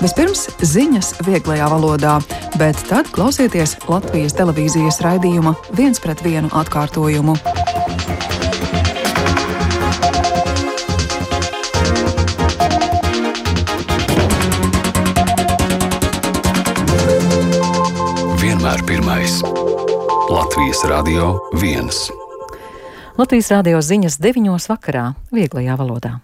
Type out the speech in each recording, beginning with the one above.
Vispirms ziņas vieglajā valodā, bet tad klausieties Latvijas televīzijas raidījuma 1:1 atkārtojumu. Vienmēr pirmais. Latvijas Radio 1. Latvijas radio ziņas 9:00 vakarā, vieglajā valodā.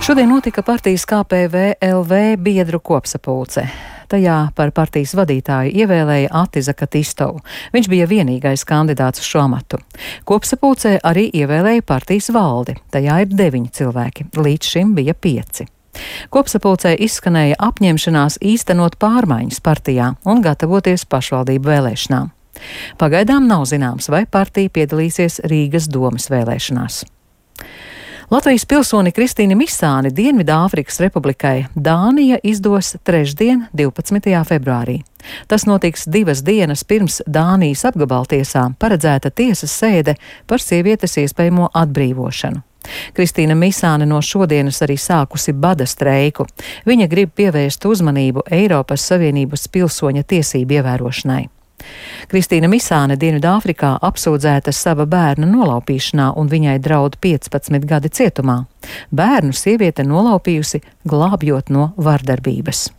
Šodien notika partijas KPVLV biedru kopsapulce. Tajā par partijas vadītāju ievēlēja Atiza Katistovu. Viņš bija vienīgais kandidāts uz šo amatu. Kopsapulcē arī ievēlēja partijas valdi. Tajā ir 9 cilvēki, līdz šim bija 5. Kopsapulcē izskanēja apņemšanās īstenot pārmaiņas partijā un gatavoties pašvaldību vēlēšanām. Pagaidām nav zināms, vai partija piedalīsies Rīgas domes vēlēšanās. Latvijas pilsoni Kristīni Misāni Dienvidāfrikas Republikai Dānija izdos trešdien, 12. februārī. Tas notiks 2 dienas pirms Dānijas apgabaltiesām paredzēta tiesas sēde par sievietes iespējamo atbrīvošanu. Kristīna Misāne no šodienas arī sākusi bada streiku. Viņa grib pievērst uzmanību Eiropas Savienības pilsoņa tiesību ievērošanai. Kristīna Misāne Dienvidāfrikā apsūdzēta sava bērna nolaupīšanā un viņai draud 15 gadi cietumā. Bērnu sieviete nolaupījusi, glābjot no vardarbības.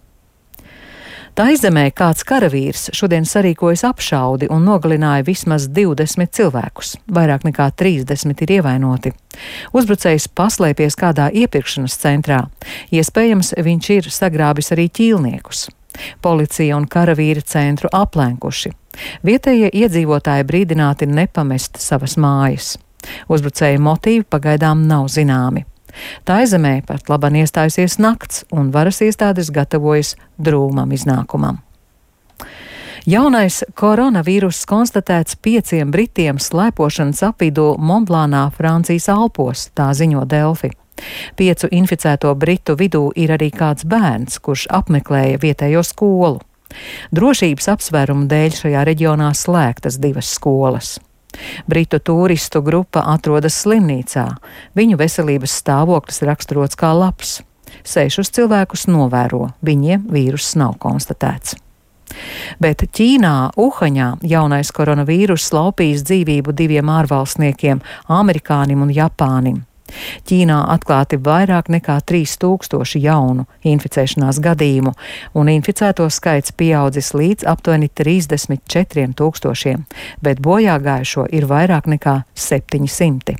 Taizemē kāds karavīrs šodien sarīkojas apšaudi un nogalināja vismaz 20 cilvēkus. Vairāk nekā 30 ir ievainoti. Uzbrucējs paslēpies kādā iepirkšanas centrā. Iespējams, viņš ir sagrābis arī ķīlniekus. Policija un karavīri centru aplenkuši. Vietējie iedzīvotāji brīdināti nepamest savas mājas. Uzbrucēja motīvi pagaidām nav zināmi. Taizemē pat laban iestājusies nakts, un varas iestādes gatavojas drūmam iznākumam. Jaunais koronavīruss konstatēts 5 britiem slēpošanas apvidū Montblānā, Francijas Alpos, tā ziņo Delfi. 5 inficēto britu vidū ir arī kāds bērns, kurš apmeklēja vietējo skolu. Drošības apsvērumu dēļ šajā reģionā slēgtas 2 skolas. Britu turistu grupa atrodas slimnīcā. Viņu veselības stāvoklis raksturots kā labs. 6 cilvēkus novēro, viņiem vīruss nav konstatēts. Bet Ķīnā, Uhaņā, jaunais koronavīruss laupījis dzīvību 2 ārvalstniekiem, amerikānim un japānim. Ķīnā atklāti vairāk nekā 3000 jaunu inficēšanās gadījumu, un inficēto skaits pieaudzis līdz aptuveni 34 000, bet bojāgājušo ir vairāk nekā 700.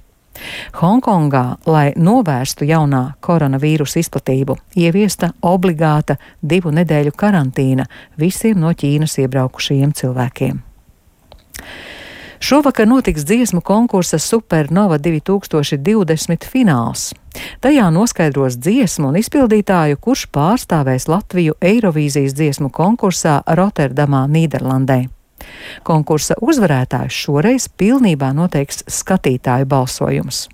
Hongkongā, lai novērstu jaunā koronavīrusa izplatību, ieviesta obligāta 2 nedēļu karantīna visiem no Ķīnas iebraukušajiem cilvēkiem. Šovakar notiks dziesmu konkursa Supernova 2020 fināls. Tajā noskaidros dziesmu un izpildītāju, kurš pārstāvēs Latviju Eirovīzijas dziesmu konkursā Rotterdamā, Nīderlandē. Konkursa uzvarētājs šoreiz pilnībā noteiks skatītāju balsojums.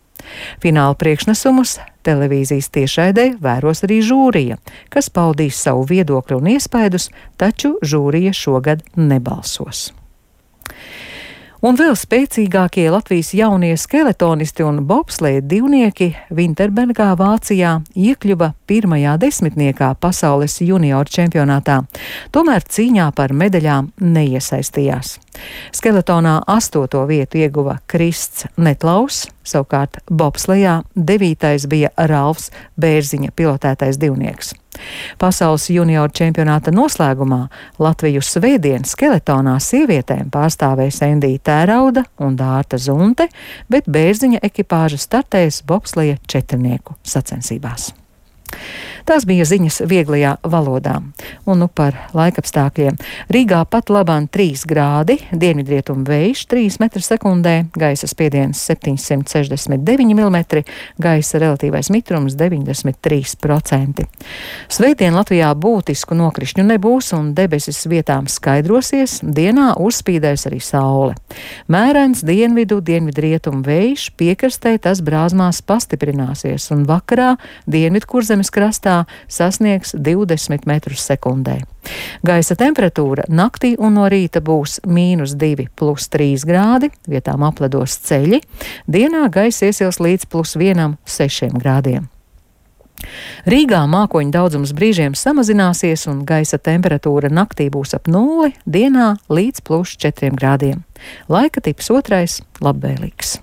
Fināla priekšnesumus televīzijas tiešraidē vēros arī žūrija, kas paudīs savu viedokli un iespaidus, taču žūrija šogad nebalsos. Un vēl spēcīgākie Latvijas jaunie skeletonisti un bobsleja divnieki Vinterbergā, Vācijā iekļuva 1. desmitniekā pasaules junioru čempionātā, tomēr cīņā par medaļām neiesaistījās. Skeletonā 8. vietu ieguva Krists Netlaus, savukārt bobslejā 9. bija Ralfs Bērziņa pilotētais divnieks. Pasaules junioru čempionāta noslēgumā Latviju svētdien skeletonā sievietēm pārstāvēs Endija Tērauda un Dārta Zunte, bet Bērziņa ekipāža startēs bobsleja 4 sacensībās. Tās bija ziņas vieglajā valodā. Un par laikapstākļiem. Rīgā pat labāk 3 grādi, dienvidrietumu vējš 3 m/sekundē, gaisa spiediens 769 mm, gaisa relatīvais mitrums 93%. Svētdien Latvijā būtisku nokrišņu nebūs un debesis vietām skaidrosies, dienā uzspīdēs arī saule. Mērens dienvidrietumu vējš, piekrastē tas brāzmās pastiprināsies un vakarā Dienvidkurzemes Ukrainas krastā sasniegs 20 metrus sekundē. Gaisa temperatūra naktī un no rīta būs -2 + 3 grādi, vietām apledos ceļi, dienā gaisa iesils līdz +1 - 6 grādiem. Rīgā mākoņu daudzums brīžiem samazināsies un gaisa temperatūra naktī būs ap 0, dienā līdz +4 grādiem. Laika tips 2 - labvēlīgs.